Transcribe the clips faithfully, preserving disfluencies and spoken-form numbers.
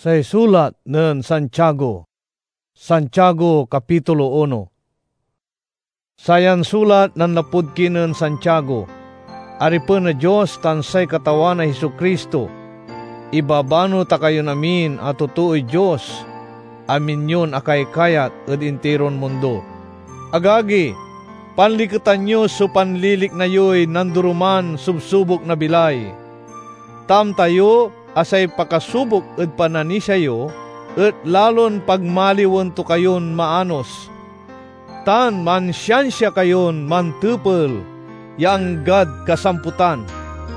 Say sulat nen Santiago. Santiago, kapitulo uno. Sayan sulat nanlapud kinen Santiago, aripen na Dios tan say Katawan a Jesu-Cristo. Ibabano ta kayon amin a totooy Dios, amin yon akaykayat ed intiron mundo. Agagi, panliketan yo so panlilikna yoy nandoroman subsubok na bilay. Ta amta yo a say pakasubok ed pananisia yo et lalon pagmaliwen to kayon maanos, tan mansiansia kayon mantepel ya anggad kasamputan,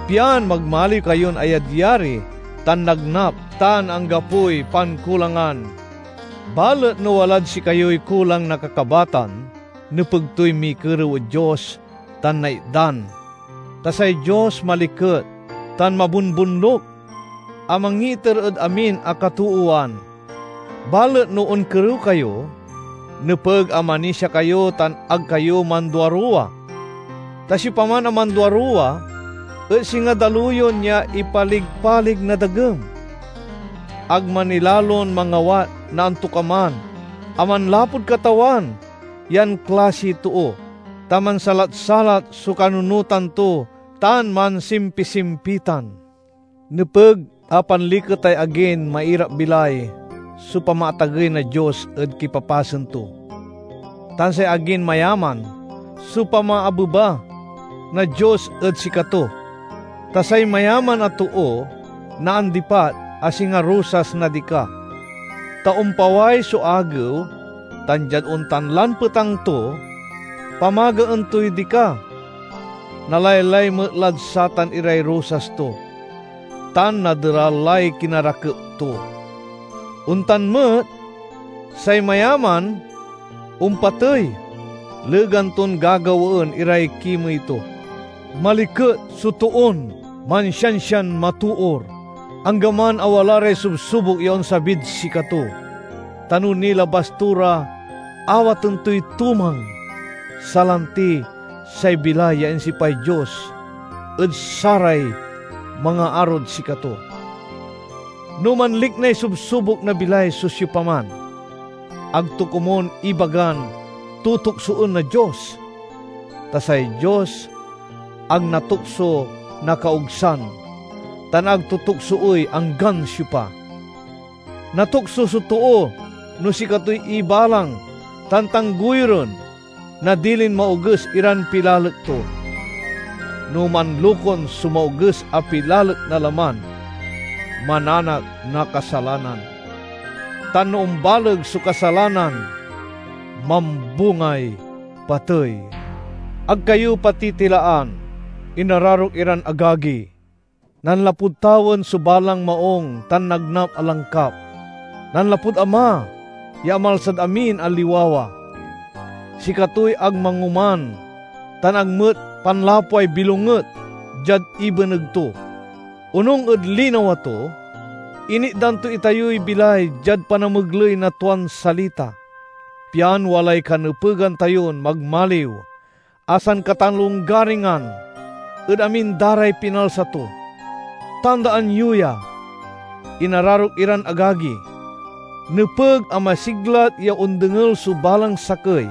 pian magmaliw kayon ayadyari tan nagnap tan anggapoy pankulangan. Balet no walad sikayoy kulang na kakabatan, nepeg toy mikerew ed Dios tan naitdan. Ta say Dios maliket tan mabunbunlok a mangiiter ed amin a katoowan. Balet no onkerew kayo, nepeg a manisia kayo tan ag kayo manduaruwa. Ta siopaman a manduaruwa et singa daluyon ya ipaligpalig na dagem. Ag manilalon mangawat na antokaman a manlapud Katawan yan klasiy too, ta mansalat-salat so kanunotan to tan mansimpisimpitan. Nepeg a panliketay agin mairap-bilay so pamaatagey na Dios ed kipapasen to, tan say agin mayaman so pamaabeba na Dios ed sikato. Ta say mayaman a too naandipat a singa rosas na dika, ta ompaway so agew, tan diad ontan lan petang to, pamagaen toy dika. Nalaylay met lad satan iray rosas to, tan naderal lay kinarakep to. Ontan met, say mayaman ompatey, legan ton gagawaen iray kimey to. Maliket so toon mansiansian matoor, anggaman a wala ray subsubok ya onsabid sikato, ta no nilabas to ra, awaten toy tumang, salanti say bilay ya insipay Dios ed saray mangaarod sikato. No manliknay subsubok na bilay so siopaman, ag to komun ibagan tutuksoen na Dios, ta say Dios ag natukso na kaogsan, tan ag to tuksoey anggan siopa. Natukso so too no sikatoy ibalang tan tanggoyuren na dilin maoges iran pilalek to. No manlokon so maoges a pilalek na laman, mananak na kasalanan, tan no ombaleg so kasalanan, mambungay patey. Ag kayo patitilaan, inararok iran agagi. Nanlapud tawen so balang maung tan nagnap a langkap. Nanlapud Ama ya amalsad amin a liwawa. Sikatoy ag mangoman tan ag met panlapway bilonget diad ibeneg to. Onung ed linawa to, initdan to itayoy bilay diad panamegley na tuan salita, pian walay kanepegan tayon magmaliw a sankatalonggaringan ed amin da ray pinalsa to. Tandaan yo ya, inararok iran agagi, nepeg a masiglat ya ondengel so balang sakey.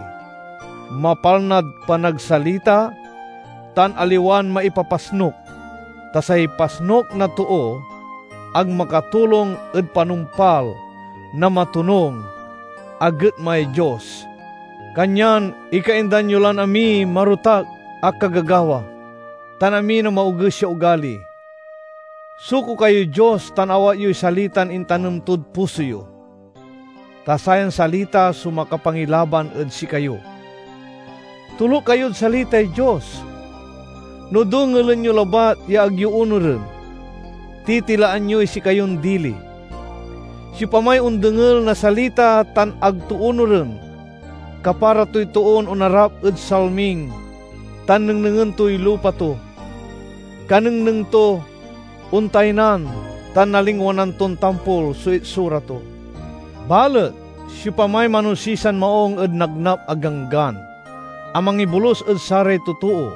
Mapalnad panagsalita tan aliwan maipapasnok, ta say pasnok na too ag makatulong ed panumpal na matonung a getmay Dios. Kanyan ikaindan yo lan amiy marotak a kagagawa, tan amin a maoges ya ugali. Suko kayoy Dios tan awat yoy salitan intanem tod puso yo, ta sayan salita so makapangilaban ed sikayo. Toluk kayod salitay Dios. No dengelen yo labat ya ag yo onuren, titilaan yoy sikayon dili. Siopamay ondengel na salita tan ag to onuren, kapara toy toon onarap ed salming tan nengnengen toy lupa to. Kanengneng to, ontaynan tan nalingwanan ton tampol so itsura to. Balet siopamay manosisan maung ed nagnap a ganggan a mangibolus ed saray totoo,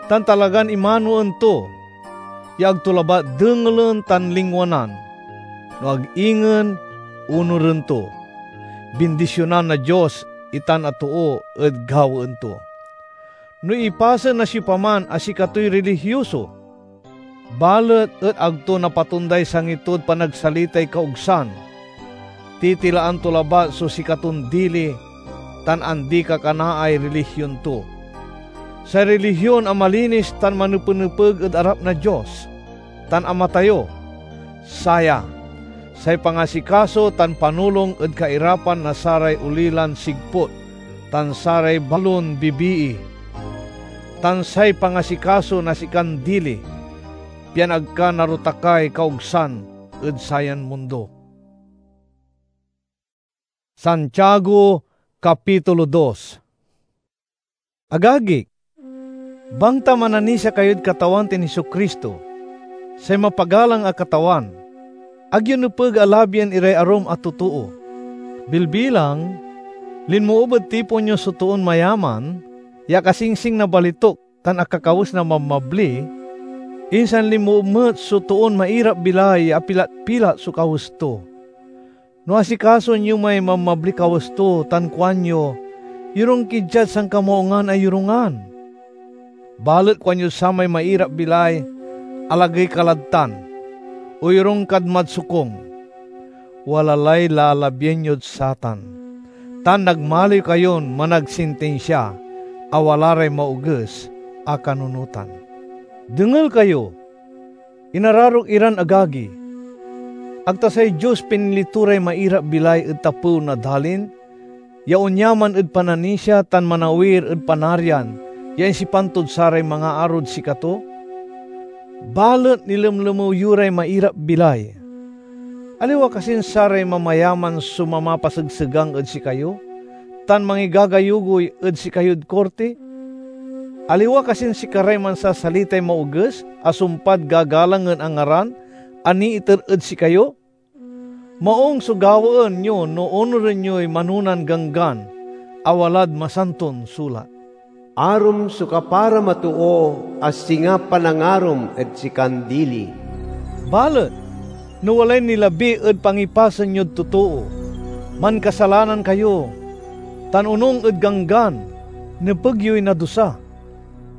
tan talagan imanoen to ya ag to labat dengelen tan lingwanan, no ag ingen onuren to. Bindisionan na Dios itan a too ed gawaen to. No ipasen na siopaman a sikatoy relihioso, balet et ag to napatonday sangi tod panagsalitay kaogsan, titilaan to labat so sikaton dili tan andi-kakanaay relihion to. Say relihion a malinis tan manepenepeg ed arap na Dios tan Ama tayo, saya: say pangasikaso tan panulong ed kairapan na saray olilan sigput tan saray balon bibii, tan say pangasikaso na sikan dili, pian ag ka narutakay kaogsan ed sayan mundo. Santiago, Kapitulo dos. Agagik, bangta mananisia kayod Katawan tan Jesu-Cristo, say mapagalang a Katawan, ag yo nepeg a labien iray arum a totoo. Bilbilang, linmoob ed tipon yo so toon mayaman ya akasingsing na balituk tan akakawes na mabmabli, insan linmoob met so toon mairap-bilay ya apilat-pilat so kawes to. No asikasoen yo may mabmabliy kawes to tan kuanyo, "Yorung ki diad sankamaungan a yorungan," balet kuanyod samay mairap-bilay, "Alagey ka lad tan, oyorung kad madsokung," wala lay lalabien yod satan, tan nagmaliw kayon managsintinsia a wala ray maoges a kanunotan. Dengel kayo, inararok iran agagi. Ag ta say Dios pinili to ray mairap-bilay ed tapew na dalin, ya onyaman ed pananisia tan manawir ed Panarian ya insipan tod saray mangaarod sikato? Balet nilemlemew yo ray mairap-bilay. Aliwa kasin saray mamayaman so mamapasegsegang ed sikayo tan mangigagayugoy ed sikayod korti? Aliwa kasin sikaray mansasalitay maoges a sumpad gagalangen a ngaran a niiter ed sikayo? Maung so gawaen yo no onuren yoy manonan ganggan a walad Masanton Sulat. Arum so kaparam a too a singa panangarom ed sikan dili. Balet no walay nilabi ed pangipasen yod totoo, mankasalanan kayo, tan onung ed ganggan, nepeg yoy nadusa.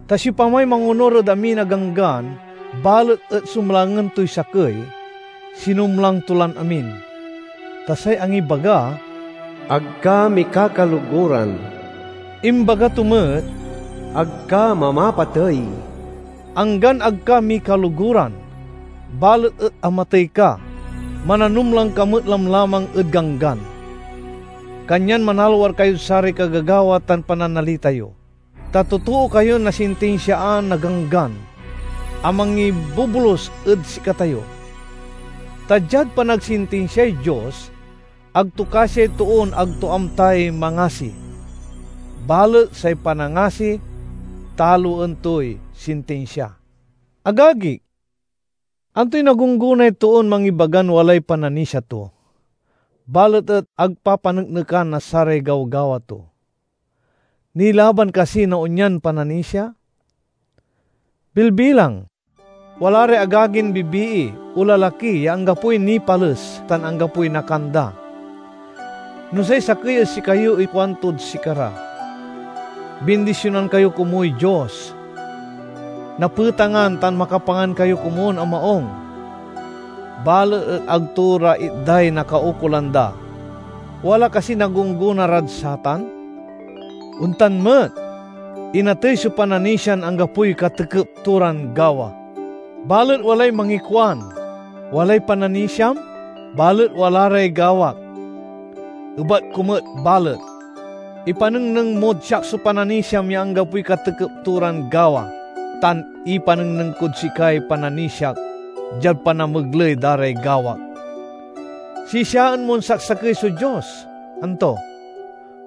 Ta siopamay mangonur ed amin a ganggan, balet et sumlangen toy sakey, sinumlang to lan amin. Ta say angibaga, "Ag ka mikakaloguran," imbaga to met, "Ag ka mamapatey." Anggan ag ka mikaloguran, balet et amatey ka, mananumlang ka met lamlamang ed ganggan. Kanyan manalwar kayod saray kagagawa tan pananalita yo. Ta totoo kayon nasintinsiaan na Ganggan a mangibubulos ed sikatayo. Ta diad panagsintinsiay Dios, ag to kasiay toon ag to amtay mangasi. Balet say panangasi, taloen toy sintinsia. Agagik, antoy nagunggonay toon mangibagan walay pananisia to, balet et ag papaneknekan na saray gawgawa to? Nilaban kasi na onyan pananisia? Bilbilang, wala ray agagin bibii o lalaki ya anggapoy nipales tan anggapoy nakanda. No say sakey ed sikayo ikuantod sikara, "Bindisionan kayo komuy Dios. Napetangan tan makapangan kayo komun a maung," balet et ag to ra itday na kaukolan da, wala kasi nagunggona rad satan? Ontan met, inatey so pananisian anggapoy katekep to ran gawa. Balet walay mangikuan, "Walay pananisiam, balet wala ray gawak." Ebat ko met balet, ipanengneng mod siak so pananisiam ya anggapoy katekep to ran gawa, tan ipanengneng kod sikay pananisiak diad panamegley da ray gawak. Sisiaen mon saksakey so Dios, anto?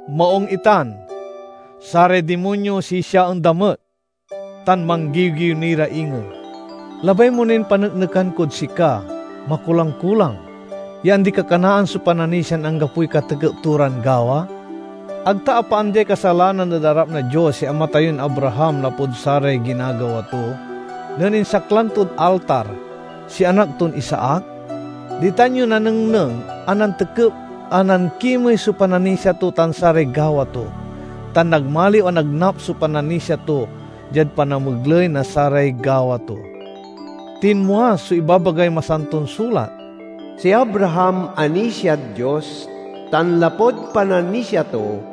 Maung itan, saray dimonyo sisiaen da met, tan manggiwgiw ni ra ingen. Labay mo nin paneknekan kod sika, makulang-kulang, ya andi-kakanaan so pananisian anggapoy katekep to ran gawa? Ag ta apaandiay kasalanan ed arap na Dios si ama tayon Abraham lapud saray ginagawa to, nen insaklang tod altar si anak ton Isaac? Ditan yo nanengneng a nantekep a nankimey so pananisia to tan saray gawa to, tan nagmaliw a nagnap so pananisia to diad panamegley na saray gawa to. Tinmua so ibabagay Masanton Sulat, "Si Abraham anisiad Dios, tan lapud pananisia to,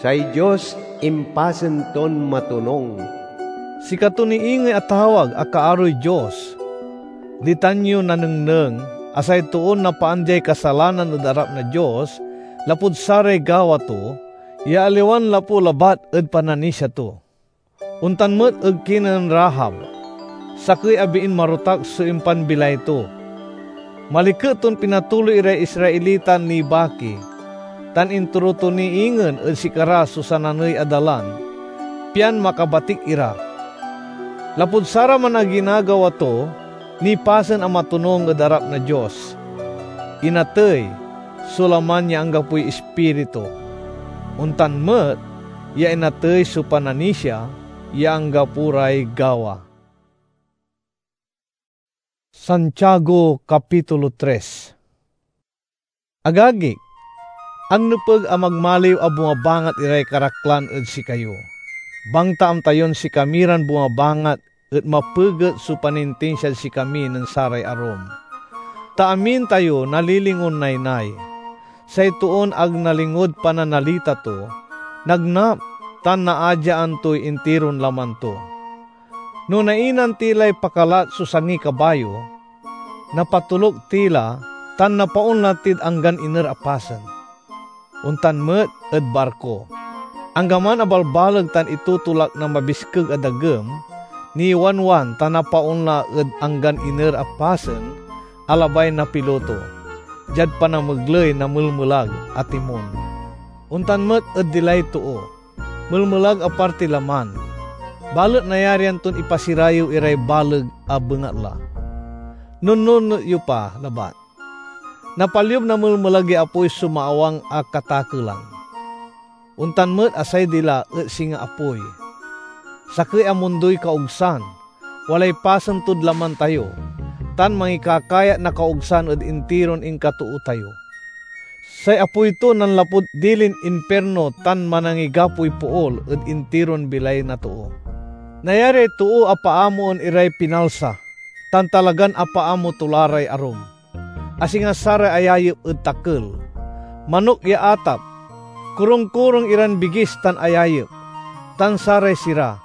say Dios impasen ton matonung." Sikato ni ingey a tawag a kaaroy Dios. Ditan yo nanengneng a say toon napaandiay kasalanan ed arap na Dios lapud saray gawa to, ya aliwan lapu labat ed pananisia to. Ontan met ed kinen Rahab, sakey a biin marotak so impanbilay to. Maliket ton pinatuloy iray Israelitan nibaki, tan intoro to ni ingen ed sikara so sananey a dalan, pian makabatik ira. Lapud saraman a ginagawa to, nipasen a matonung ed arap na Dios. Inatey so laman ya anggapoy ispiritu. Ontan met ya inatey so pananisia ya anggapo ray gawa. Santiago, Kapitulo tres. Agagik, ag nepeg a magmaliw a bumabangat iray karaklan ed sikayo. Bangtaan tayon sikami ran bumabangat et mapeget so panintinsiad sikami nen saray arum. Ta amin tayo nalilingon naynay. Say toon ag nalingod pananalita to, nagnap tan naadyaan toy intiron laman to. No nainan ti lay pakalat so sangi kabayo, napatoluk ti la tan napaonla tid anggan iner a pasen. Ontan met ed barko. Anggaman a balbaleg tan itotolak na mabiskeg a dagem, niwanwan tan napaonla ed anggan iner a pasen a labay na piloto, diad panamegley na melmelag a timon. Ontan met ed dilay too, melmelag a parti laman, balet nayarian ton ipasirayew iray baleg a bengatla. Nunnunot yo pa labat. Napalyub na melmelag ya apoy so maawang a katakelan. Ontan met a say dila et singa apoy. Sakey a mundoy kaogsan, walay pasen tod laman tayo, tan mangikakayat na kaogsan ed intiron inkatoo tayo. Say apoy to nanlapud dilin impirno tan manangigapoy pool ed intiron bilay na too. Nayariay too a paamoen iray pinalsa, tan talagan apaamo to la ray arum, a singa saray ayayep ed takel, manok ya atap, korongkorong iran bigis tan ayayep, tan saray sira.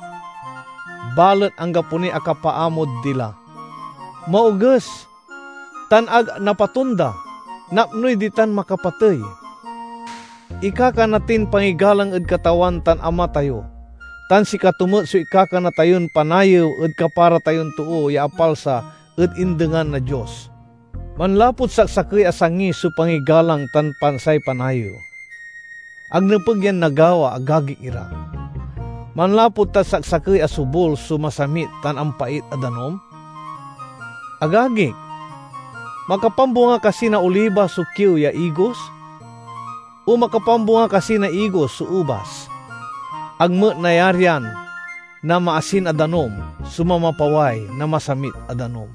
Balet anggapo niy akapaamod dila. Maoges, tan ag napatonda, napnoy ditan makapatey. Ikakana tin pangigalang ed Katawan tan Ama tayo, tan sikato met so ikakana tayon panayew ed kapara tayon too ya apalsa ed indengan na Dios. Manlapud saksakey a sangi so pangigalang tan pansay panayew. Ag nepeg yan nagawa, agagik ira. Manlapud ta saksakey a sobul so masamit tan ampait a danum? Agagik, makapambunga kasi na oliba so kiew ya igos? O makapambunga kasi na igos so ubas? Ag met nayarian na maasin a danum so mamapaway na masamit a danum.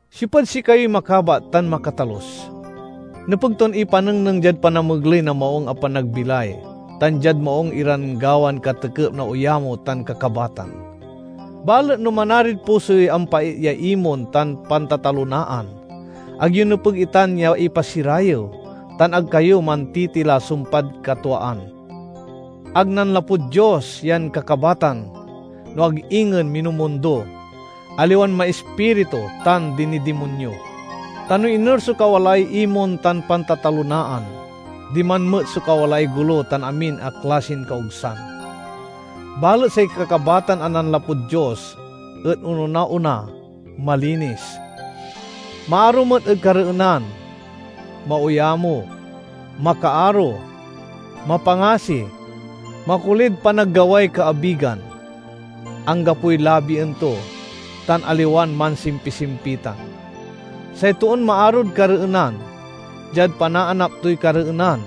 Siopad sikayoy makabat tan makatalus? Nepeg ton ipanengneng diad panamegley na maung a panagbilay, tan diad maung iran gawan katekep na oyamo tan kakabatan. Balet no manarid pusoy ampait ya imon tan pantatalonaan, ag yo nepeg itan ya ipasirayew, tan ag kayo mantitila sumpad katuaan. Ag nanlapud Dios yan kakabatan, no ag ingen minumundo, aliwan maispiritu tan dinidimonyo. Ta no iner so kawalaay imon tan pantatalonaan, diman met so kawalaay golo tan amin a klasin kaogsan. Balet say kakabatan a nanlapud Dios et onona-ona, malinis, maaro met ed kareenan, maoyamo, makaaro, mapangasi, makulid panaggaway kaabigan, anggapoy labien to, tan aliwan mansimpisimpitan. Say toon maarod kareenan, diad panaanap toy kareenan,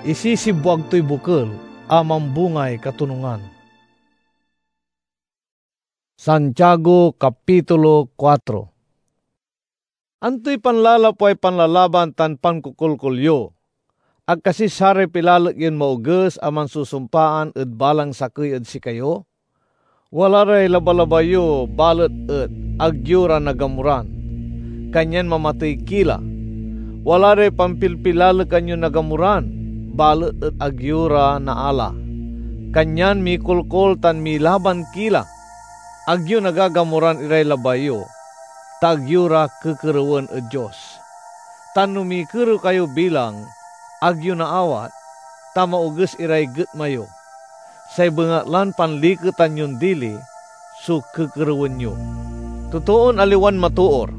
isisibwag toy bokel a mambungay katonungan. Santiago, Kapitulo kuatro. Antoy panlalapway panlalaban tan pankokolkol yo? Ag kasi saray pilalek yon maoges a mansusumpaan ed balang sakey ed sikayo? Wala ray labalabay yo, balet et ag yo ra nagamuran, kanyan mamatey ki la. Wala ray pampilpilalekan yon nagamuran, balet et ag yo ra naala, kanyan mikolkol tan milaban ki la. Ag yo nagagamuran iray labay yo, ta ag yo ra kekerewen ed Dios. Tan no mikerew kayo bilang ag yo naawat, ta maoges iray getma yo. Say bengatlan panliketan yon dili so kekerewen yo. Totoon aliwan matoor,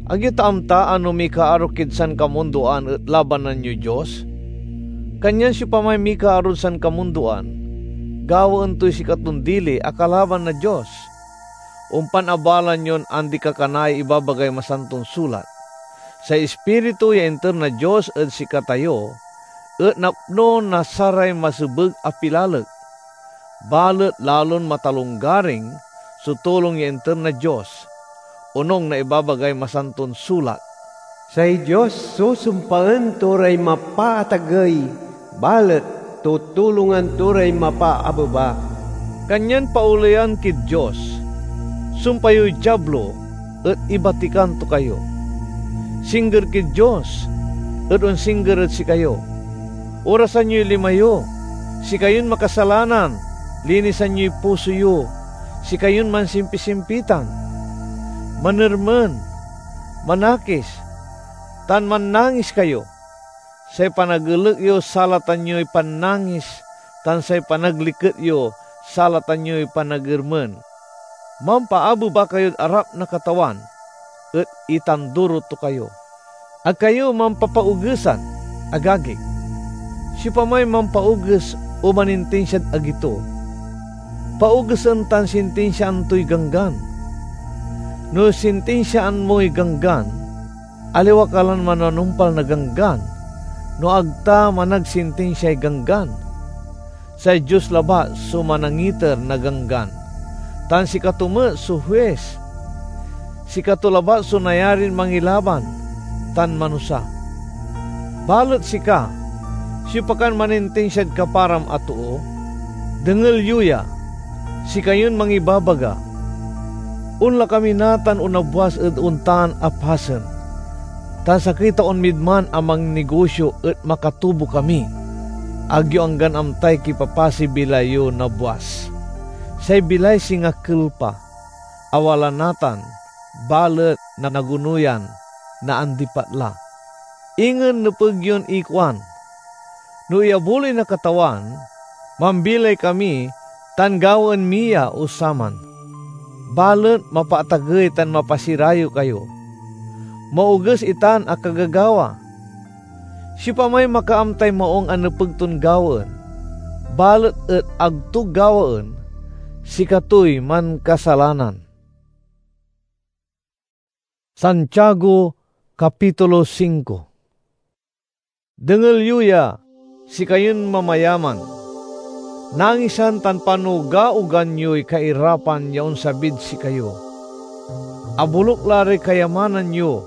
ag yo ta amta a no mikaaro kid sankamundoan et labanan yoy Dios? Kanyan siopamay mikaarod sankamundoan, gawaen toy sikaton dili a kalaban na Dios. Ompan abalan yon andi-kakanay ibabagay Masanton Sulat, "Say Ispiritu ya inter na Dios ed sikatayo et napno na saray masebeg a pilalek, balet lalon matalonggaring so tulong ya inter na Dios," onung na ibabagay Masanton Sulat. Say Dios susumpaen to ray mapaatagey, balet tutulongan to ray mapaabeba. Kanyan paoleyan kid Dios, sumpay yoy Diablo et ibatikan to kayo. Singger kid Dios et onsingger ed sikayo. Orasan yoy lima yo, sikayon makasalanan, linisan yoy puso yo, sikayon mansimpisimpitan. Manermen, manakis, tan mannangis kayo. Say panagelek yo salatan yoy pannangis, tan say panagliket yo salatan yoy panagermen. Mampaabeba kayod arap na Katawan, et itanduro to kayo. Ag kayo mampapaogesan, agagik. Siopamay mampaoges o manintinsiad agi to, paogesen tan sintinsiaan toy ganggan. No sintinsiaan moy ganggan, aliwa ka lan mananumpal na ganggan, no ag ta managsintinsiay ganggan. Say Dios labat so manangiter na ganggan, tan sikato met so huis. Sikato labat so nayarin mangilaban tan manusa. Balet sika, siopa kan manintinsiad kaparam a too? Dengel yo ya, sikayon mangibabaga, "Onla kami natan o nabwas ed ontan a pasen, tan sakey taon mid man a mangnigosio et makatubo kami." Ag yo anggan amtay kipapasiy bilay yo nabwas. Say bilay singa kelpa a wala natan, balet nagunoyan, naandipat la. Ingen nepeg yon ikuan, "No iyabuloy na Katawan, mambilay kami tan gawaen mi ya o saman." Balet mapaatagey tan mapasirayew kayo. Maoges itan a kagagawa. Siopamay makaamtay maung a nepeg ton gawaen, balet et ag to gawaen, sikatoy mankasalanan. Santiago, Kapitulo singko. Dengel yo ya, sikayon mamayaman. Nangisan tan panugaogan yoy kairapan ya onsabid sikayo. Aboluk la ray kayamanan yo,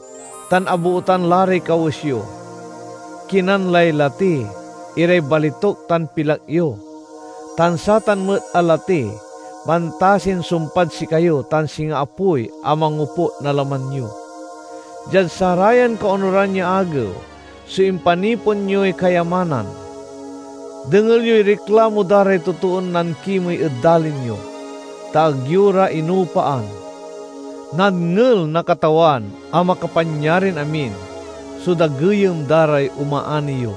tan abootan la ray kawes yo. Kinan lay lati iray balituk tan pilak yo, tan satan met a lati mantasin sumpad sikayo tan singa apoy a mangoput na laman yo. Diad sarayan kaonuran ya agew so impanipon yoy kayamanan, dengel yoy riklamo da ray totoon nankimey ed dalin yo, ta ag yo ra inupaan. Nadngel na Katawan a Makapanyarin-amin so dageyem da ray omaani yo.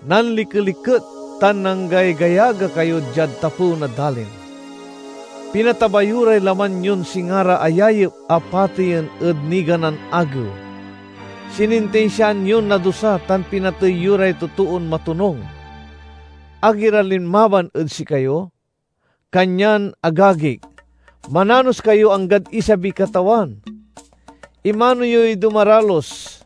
Nanlikeliket tan nanggaygayaga kayo diad tapew na dalin. Pinataba yo ray laman yon singa ra ayayep a pateyen ed niganan agew. Sinintinsiaan yon nadusa tan pinatey yo ray totoon matonung. Ag ira linmaban ed sikayo? Kanyan, agagik, mananos kayo anggad isabiy Katawan. Imano yoy dumaralus,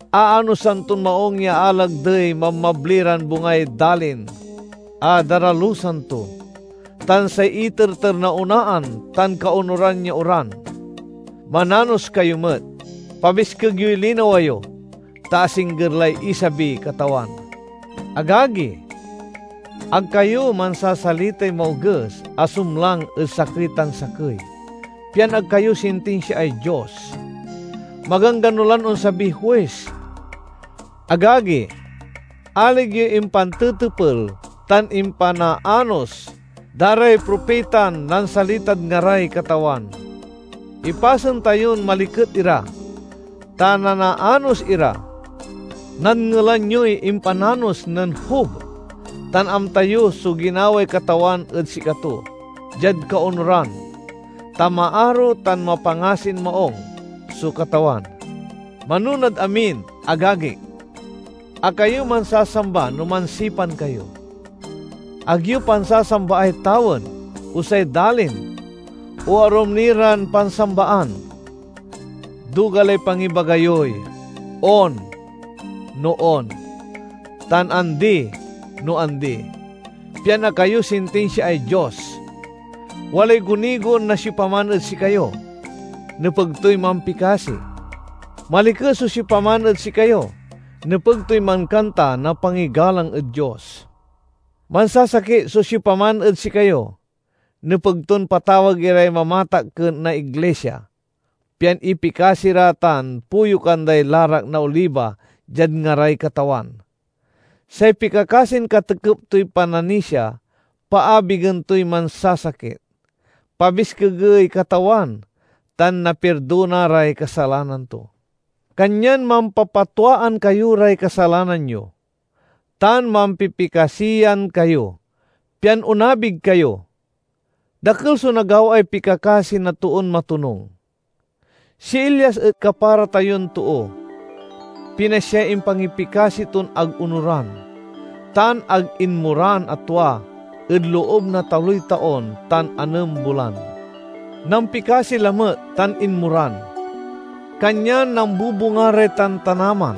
aanosan ton maung ya alagdey mamabli ran bungay dalin a daralusan to, tan say iterter na onaan tan kaonuran ya oran. Mananos kayo met. Pabiskeg yoy linawa yo, ta asingger lay isabiy Katawan. Agagi, ag kayo mansasalitay maoges a sumlang ed sakey tan sakey, pian ag kayo sintinsiaay Dios. Maganggano lan onsabiy huis. Agagi, aleg yoy impantetepel tan impanaanos da ray propitan nansalitad ngaray Katawan. Ipasen tayon maliket ira, ta nanaanos ira. Nadngelan yoy impananos nen Job, tan amta yo so ginaway Katawan ed sikato, diad kaonuran, ta maaro tan mapangasin maong so Katawan. Manonad amin, agagik, ag kayo mansasamba no mansipan kayo. Ag yo pansasambaay tawen, o say dalin, o arum ni ran pansambaan. Duga lay pangibaga yoy, "On," no on, tan "Andi," no andi, pian ag kayo sintinsiaay Dios. Walay gunigon na siopaman ed sikayo, nepeg toy mampikasi. Maliket so siopaman ed sikayo, nepeg toy mankanta na pangigalang ed Dios. Mansasakit so siopaman ed sikayo, nepeg ton patawag iray mamatakken na iglisia, pian ipikasi ra tan puyokan day larak na oliba diad ngaray Katawan. Say pikakasin katekep toy pananisia, paabigen toy mansasakit, pabiskegey Katawan, tan napirdona ray kasalanan to. Kanyan mampapatwaan kayo ray kasalanan yo, tan mampipikasian kayo, pian onabig kayo. Dakel so nagawaay pikakasi na toon matonung. Si Elias et kapara tayon too. Pinasyay impangipikasi ton ag onuran, tan ag inmoran a tua ed loob na taloy taon tan anem bulan. Nampikasi lamet tan inmoran, kanyan nambubunga ray tantanaman.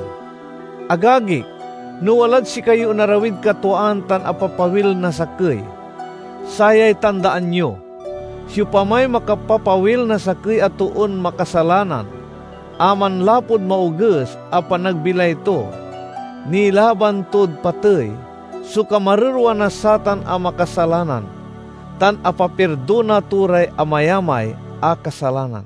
Agagik, no walad sikayo onarawid katwaan tan apapawil na sakey, sayay tandaan yo: siopamay makapapawil na sakey a toon makasalanan a manlapud maoges a panagbilay to, nilaban tod patey so kamarerwa na satan a makasalanan, tan apapirdona to ray amayamay a kasalanan.